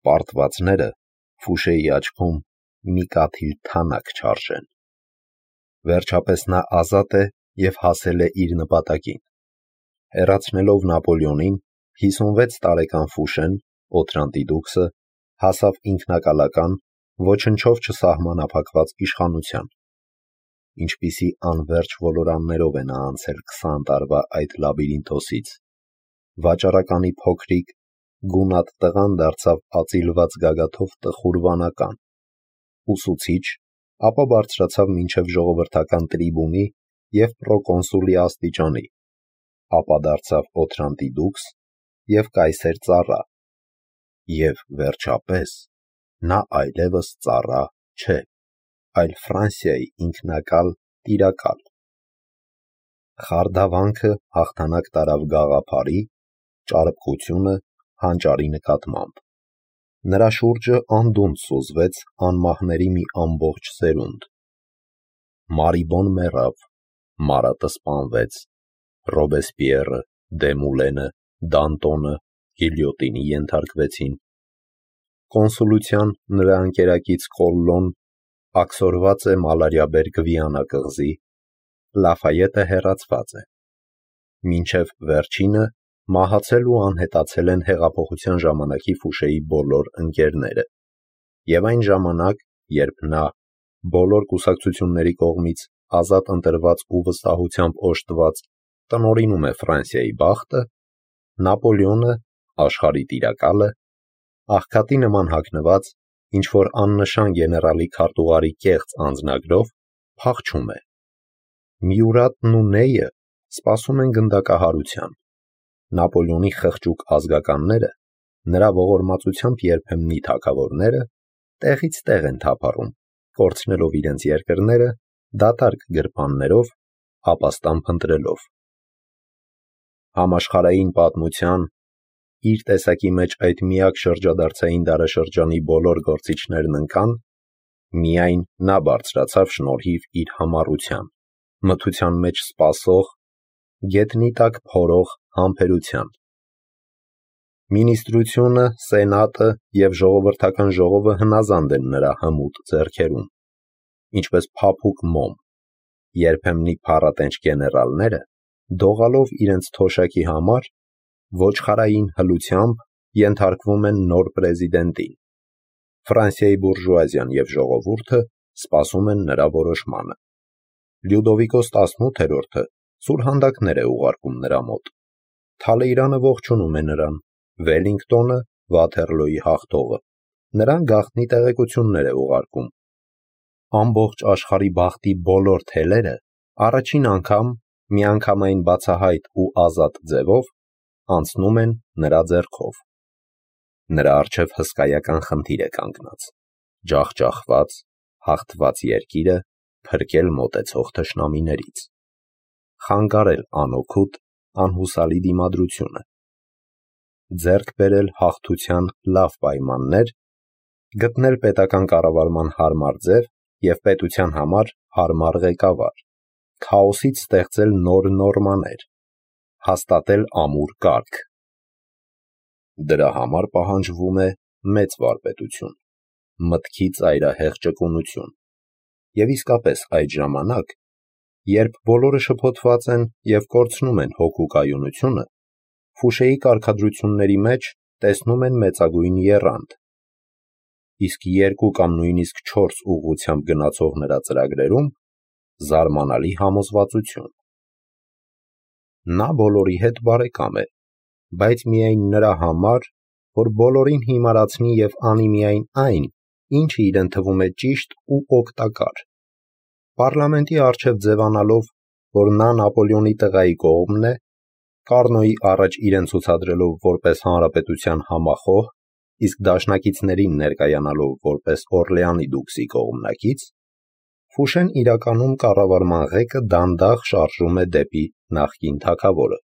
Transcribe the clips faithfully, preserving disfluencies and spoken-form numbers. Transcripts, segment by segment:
պարտվածները Ֆուշեի աչքում մի կաթիլ թանաք չարժեն։ Վերջապես նա ազատ է և հասել է իր նպատակին։ Հեռացնելով Նապոլեոնին, հիսունվեց տարեկան Ֆուշեն, Օթրանտի դուքսը, հասավ ինքնակալական, ոչնչով չսահմանափակված իշխանության։ Ինչպիսի անվերջ ոլորաններով է նա անցել քսան տարվա այդ լաբիրինթոսից։ Վաճառականի փոքրիկ, գունատ տղան դարձավ ածիլված գագաթով տխուր վանական, ուսուցիչ, ապա բարձրացավ մինչև ժողովրդական տրիբունի և պրոկոնսուլի աստիճանի, ապա դարձավ Օթրանտի դուքս և կայսեր ծառա, և վերջապես նա այլևս ծառա չէ, այլ Ֆրանսիայի ինքնակալ տիրակալ։ Խարդավանքը հաղթանակ տարավ գաղափարի, ճարպկությունը հանճարի նկատմամբ։ Նրա շուրջը անդունդը սուզվեց անմահների մի ամբողջ սերունդ։ Մարիբոն մեռավ, Մարատը սպանվեց, Ռոբեսպիերը, Դեմուլենը, Դանտոնը գիլյոտինի ենթարկվեցին։ Կոնսուլության նրա ընկերակից Կոլլոն աքսորված է մալարիաբեր Գվիանա կղզի, Լաֆայետը հեռացված է։ Մինչև վերջինը մահացել ու անհետացել են հեղափոխության ժամանակի Ֆուշեի բոլոր ընկերները, և այն ժամանակ, երբ նա, բոլոր կուսակցությունների կողմից ազատ ընտրված ու վստահությամբ օժտված, տնօրինում է Ֆրանսիայի բախտը, Նապոլեոնը, աշխարհի տիրակալը, աղքատի նման հագնված, ինչ-որ աննշան գեներալի քարտուղարի կեղծ անձնագրով, փախչում է։ Մյուրատն ու Նեյը սպասում են գնդակահարության։ Նապոլեոնի խղճուկ ազգականները, նրա ողորմածությամբ երբեմնի թագավորները, տեղից տեղ են թափառում, կորցնելով իրենց երկրները, դատարկ գրպաններով, ապաստան փնտրելով։ Համաշխարհային պատմության իր տեսակի մեջ այդ միակ շրջադարձային դարաշրջանի բոլոր գործիչներն ընկան, միայն նա բարձրացավ շնորհիվ իր համառության, մթության մեջ սպասող, գետնի տակ փորող համբերության։ Մինիստրությունը, սենատը և ժողովրդական ժողովը հնազանդ են նրա հմուտ ձեռքերում, ինչպես փափուկ մոմ, երբեմնի փառատենչ գեներալները, դողալով իրենց թոշակի համար, ոչխարային հլությամբ ենթարկվում են նոր պրեզիդենտին։ Ֆրանսիայի բուրժուազիան և ժողովուրդը սպասում են նրա որոշմանը։ Լյուդովիկոս տասնութերորդը սուրհանդակներ է ուղարկում նրա մոտ։ Թալեյրանը ողջունում է նրան, Վելինգտոնը Վաթերլոյի հաղթողը նրան գաղտնի տեղեկություններ է ուղարկում։ Ամբողջ աշխարհի բախտի բոլոր թելերը առաջին անգամ միանգամայն բացահայտ ու ազատ ձևով անցնում են նրա ձեռքով։ Նրա առջև հսկայական խնդիր է կանգնած՝ ջախջախված, հաղթված երկիրը փրկել մոտեցող թշնամիներից, խանգարել անօգուտ, անհուսալի դիմադրությունը, ձեռք բերել հաղթության լավ պայմաններ, գտնել պետական կառավարման հարմար ձև և պետության համար հարմար ղեկավար, քաոսից ստեղծել նոր նորմաներ, հաստատել ամուր կարգ։ Դրա համար պահանջվում է մեծ վարպետություն, մտքի ծայրահեղ ճկունություն, և իսկապես այդ ժամանակ, երբ բոլորը շփոթված են և կորցնում են հոգու կայունությունը, Ֆուշեի կարգադրությունների մեջ տեսնում են մեծագույն եռանդ, իսկ երկու կամ նույնիսկ չորս ուղղությամբ գնացող նրա ծրագրերում զարմանալի համոզվածություն։ Նա բոլորի հետ բարեկամ է, բայց միայն նրա համար, որ բոլորին հիմարացնի և անի միայն այն, ինչը իրեն թվում է ճիշտ ու օգտակար։ Պառլամենտի առջև ձևանալով, որ նա Նապոլեոնի տղայի կողմն է, Կառնոյի առաջ իրեն ցուցադրելով որպես հանրապետության համախոհ, իսկ դաշնակիցներին ներկայանալով որպես Օրլեանի դուքսի կողմնակից, Ֆուշեն իրականում կառավարման ղեկը դանդաղ շարժում է դեպի նախկին թագավորը՝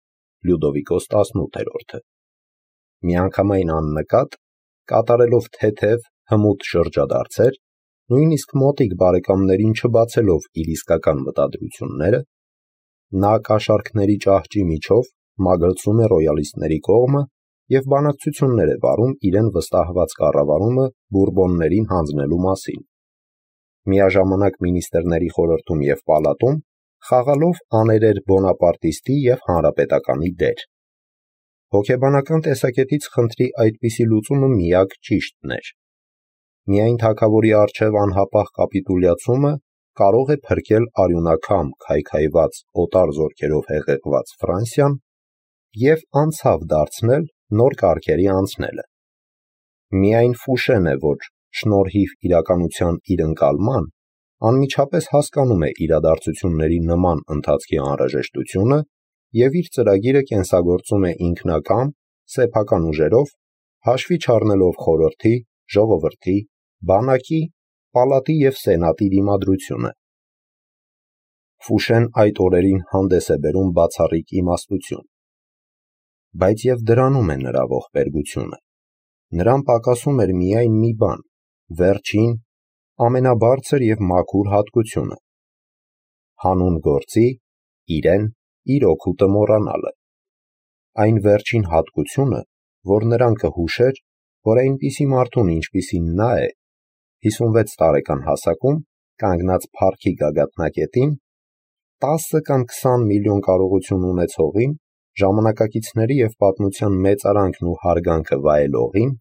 Լյուդովիկոս տասնութերորդը։ Միանգամայն աննկատ, կատարելով թեթև, հմուտ շրջադարձեր, նույնիսկ մոտիկ բարեկամներին չբացելով իր իսկական մտադրությունները, նա կաշառքների ճահճի միջով մագլցում է ռոյալիստների կողմը և բանակցություններ է վարում իրեն վստահված կառավարումը բուրբոններին հանձնելու մասին։ Միաժամանակ մինիստրների խորհրդում և պալատում խաղալով աներեր բոնապարտիստի և հանրապետականի դեր։ Հոգեբանական տեսակետից խնդրի այդպիսի լուծումը միակ ճիշտն էր։ Միայն թագավորի առջև անհապաղ կապիտուլյացումը կարող է փրկել արյունակամ քայքայված օտար զորքերով հեղեղված Ֆրանսիան և անցավ դարձնել նոր կարգերի անցնելը։ Միայն Ֆուշեն է, որ շնորհիվ իրականության իր ընկալման անմիջապես հասկանում է իրադարձությունների նման ընթացքի անհրաժեշտությունը և իր ծրագիրը կենսագործում է ինքնակամ, սեփական ուժերով, հաշվի չառնելով խորհրդի, ժողովրդի, բանակի, պալատի և սենատի դիմադրությունը։ Ֆուշեն այդ օրերին հանդես է բերում բացառիկ իմաստություն։ Բայց և դրանում է նրա ողբերգությունը։ Նրան պակասում էր միայն մի բան՝ վերջին, ամենաբարձր և մաքուր հատկությունը՝ հանուն գործի իրեն իր օգուտը մոռանալը։ Այն վերջին հատկությունը, որ նրան կհուշեր, որ այնպիսի մարդուն, ինչպիսին նա է, հիսունվեց տարեկան հասակում, կանգնած փառքի գագաթնակետին, տասը կամ քսան միլիոն կարողություն ունեցողին, ժամանակակիցների և պատմության մեծարանքն ու հարգանքը վայելողին,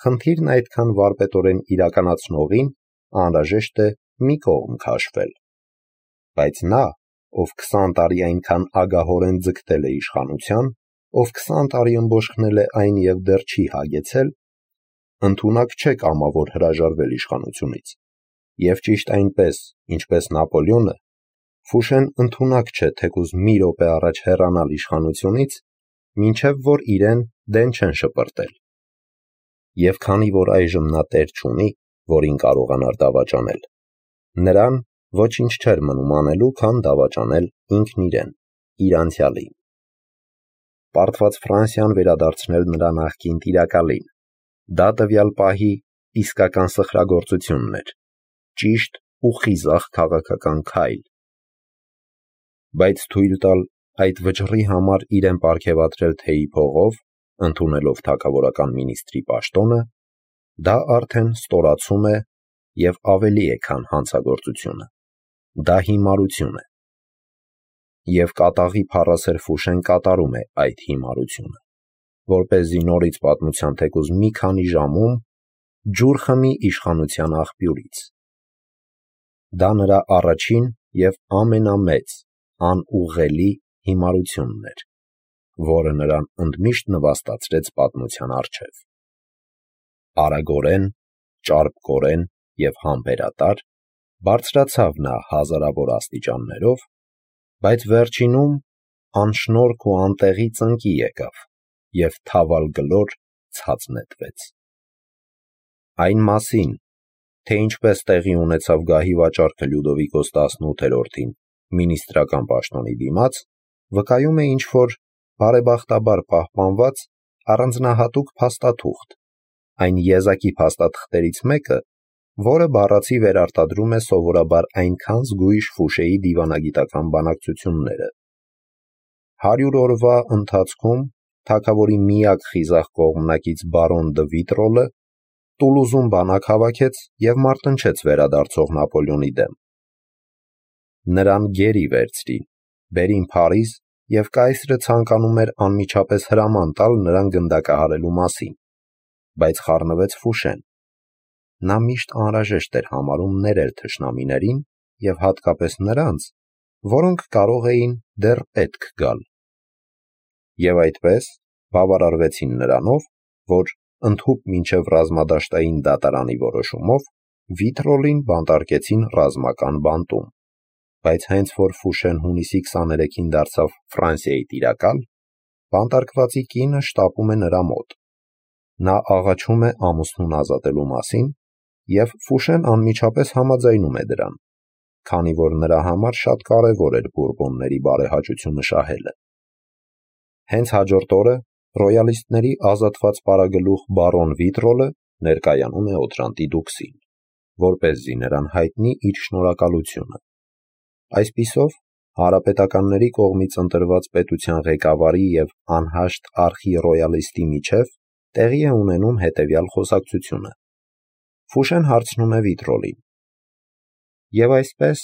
խնդիրն այդքան վարպետորեն իրականացնողին անհրաժեշտ է մի կողմ քաշվել։ Բայց նա, ով քսան տարի այնքան ագահորեն ձգտել է իշխանության, ով քսան տարի ըմբոշխնել է այն և դեռ չի հագեցել, ընդունակ չէ կամավոր հրաժարվել իշխանությունից, և ճիշտ այնպես, ինչպես Նապոլեոնը, Ֆուշեն ընդունակ չէ թեկուզ մի րոպե առաջ հեռանալ իշխանությունից, մինչև որ իրեն դեն չեն շպրտել։ Եվ քանի որ այժմ նա տեր չունի, որին կարողանար դավաճանել, նրան ոչինչ չէր մնում անելու, քան դավաճանել ինքն իրեն, իր անցյալին։ Պարտված Ֆրանսիան վերադարձնել նրա նախկին տիրակալին, դա տվյալ պահի իսկական սխրագործությունն էր, ճիշտ ու խիզախ քաղաքական քայլ։ Բայց թույլ տալ այդ վճռի համար իրեն պարգևատրել թեյի փողով, ընդունելով թագավորական մինիստրի պաշտոնը, դա արդեն ստորացում է և ավելի է, քան հանցագործությունը, դա հիմարություն է։ Եվ կատաղի փառասեր Ֆուշեն կատարում է այդ հիմարությունը, որպեսզի նորից պատմության թեկուզ մի քանի ժամում ջուր խմի իշխանության աղբյուրից։ Դա նրա առաջին և ամենամեծ, անուղղելի հիմարությունն էր, որը նրան ընդմիշտ նվաստացրեց պատմության առջև։ Արագորեն, ճարպկորեն և համբերատար բարձրացավ նա հազարավոր աստիճաններով, բայց վերջինում անշնորհք ու անտեղի ծնկի եկավ և թավալ գլոր ցած նետվեց։ Այն մասին, թե ինչպես տեղի ունեցավ գահի վաճառքը Լյուդովիկոս տասնութերորդին մինիստրական պաշտոնի դիմաց, վկայում է ինչ-որ բարեբախտաբար պահպանված առանձնահատուկ փաստաթուղթ, այն եզակի փաստաթղթերից մեկը, որը բառացի վերարտադրում է սովորաբար այնքան զգույշ Ֆուշեի դիվանագիտական բանակցությունները։ Հարյուր օրվա ընթացքում թագավորի միակ խիզախ կողմնակից բարոն դը Վիտրոլը Տուլուզում բանակ հավաքեց և մարտնչեց վերադարձող Նապոլեոնի դեմ։ Նրան գերի վերցրին, բերին Փարիզ և կայսրը ցանկանում էր անմիջապես հրաման տալ նրան գնդակահարելու մասին, բայց խառնվեց Ֆուշեն։ Նա միշտ անհրաժեշտ էր համարում ներել թշնամիներին և հատկապես նրանց, որոնք կարող էին դեռ պետք գալ։ Եվ այդպես բավարարվեցին նրանով, որ ընդհուպ մինչև ռազմադաշտային դատարանի որոշումով Վիտրոլին բանտարկեցին ռազմական բանտում, բայց հենց որ Ֆուշեն հունիսի քսաներեքին դարձավ Ֆրանսիայի տիրակալ, բանտարկվածի կինը շտապում է նրա մոտ։ Նա աղաչում է ամուսնուն ազատելու մասին, և Ֆուշեն անմիջապես համաձայնում է դրան, քանի որ նրա համար շատ կարևոր էր բուրբոնների բարեհաճությունը շահելը։ Հենց հաջորդ օրը ռոյալիստների ազատված պարագլուխ բարոն Վիտրոլը ներկայանում է Օտրանտի դուքսին, որպեսզի նրան հայտնի իր շնորհակալությունը։ Այսպիսով Հանրապետականների կողմից ընտրված պետության ղեկավարի և անհաշտ արխի-ռոյալիստի միջև տեղի է ունենում հետևյալ խոսակցությունը. Ֆուշեն հարցնում է Վիտրոլին. «Եվ այսպես,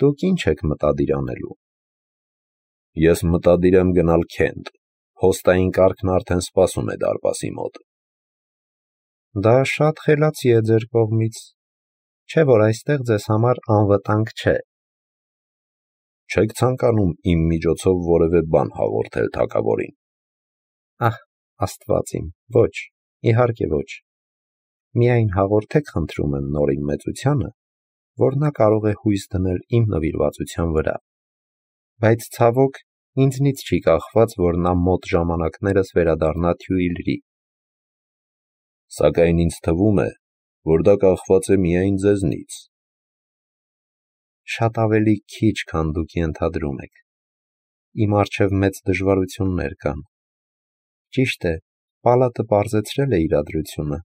դուք ինչ եք մտադիր անելու»։ «Ես մտադիր եմ գնալ Քենտ, փոստային կառքն արդեն սպասում է դարպասի մոտ»։ «Դա շատ խելացի է ձեր կողմից, չէ՞ որ այստեղ ձեզ համար անվտանգ չէ»։ «Չեք ցանկանում իմ միջոցով որևէ բան հաղորդել թագավորին»։ «Ահ, Աստված իմ, ոչ, իհարկե ոչ. միայն հաղորդեք խնդրում եմ Նորին մեծությանը, որ նա կարող է հույս դնել իմ նվիրվածության վրա, բայց ցավոք ինձնից չի կախված, որ նա մոտ ժամանակներս վերադառնա Թյուիլրի»։ «Սակայն ինձ թվում է, որ դա կախված է միայն ձեզնից»։ «Շատ ավելի քիչ, քան դուք ենթադրում եք. իմ առջև մեծ դժվարություններ կան։ Ճիշտ է, պալատը պարզեցրել է իրադրությունը։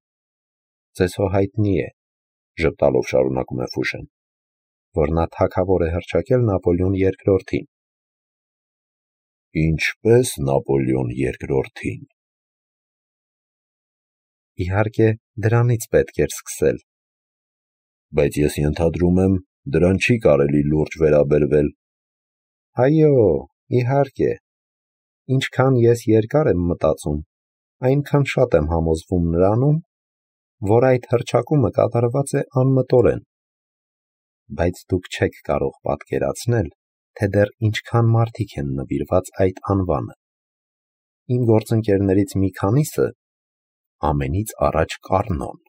Ձեզ հո հայտնի է, ժպտալով շարունակում է Ֆուշեն, որ նա թագավոր է հռչակել Նապոլեոն երկրորդին»։ «Ինչպե՞ս Նապոլեոն երկրորդին»։ «Իհարկե, դրանից պետք էր սկսել»։ «Բայց ես ենթադրում եմ, դրան չի կարելի լուրջ վերաբերվել»։ «Այո, իհարկե, ինչքան ես երկար եմ մտածում, այնքան շատ եմ համոզվում նրանում, որ այդ հռչակումը կատարված է անմտորեն։ Բայց դուք չեք կարող պատկերացնել, թե դեռ ինչքան մարդիկ են նվիրված այդ անվանը։ Իմ գործընկերներից մի քանիսը, ամենից առաջ Կառնոն,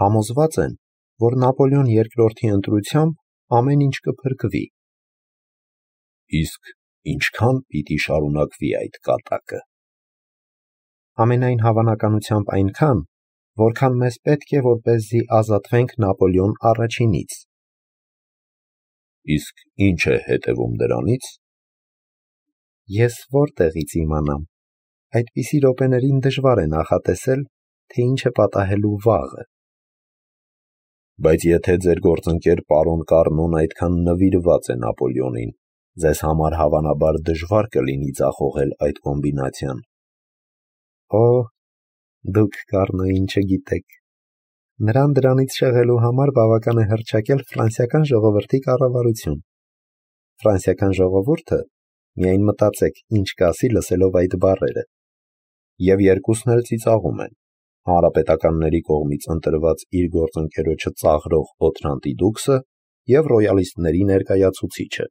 համոզված են, որ Նապոլեոն երկրորդի ընտրությամբ ամեն ինչ կփրկվի»։ «Իսկ ինչքան պիտի շարունակվի այդ կատակը»։ «Ամենայն հավանականությամբ այնքան, որքան մեզ պետք է, որպեսզի ազատվենք Նապոլեոն առաջինից»։ «Իսկ ի՞նչ է հետևում դրանից»։ «Ես որտեղից իմանամ, այդպիսի րոպեներին դժվար է նախատեսել, թե ինչ է պատահելու վաղը»։ «Բայց եթե ձեր գործընկեր պարոն Կառնոն այդքան նվիրված է Նապոլեոնին, ձեզ համար հավանաբար դժվար կլինի ձախողել այդ կոմբինացիան»։ «Օ, դուք Կառնոյին չգիտեք. նրան դրանից շեղելու համար բավական է հռչակել ֆրանսիական ժողովրդի կառավարություն։ Ֆրանսիական ժողովուրդը, միայն մտածեք, ինչ կասի լսելով այդ բառերը։ Եվ երկուսն էլ ծիծաղում են. հանրապետականների կողմից ընտրված իր գործընկերոջը ծաղրող Օթրանտի դուքսը և ռոյալիստների ներկայացուցիչը»։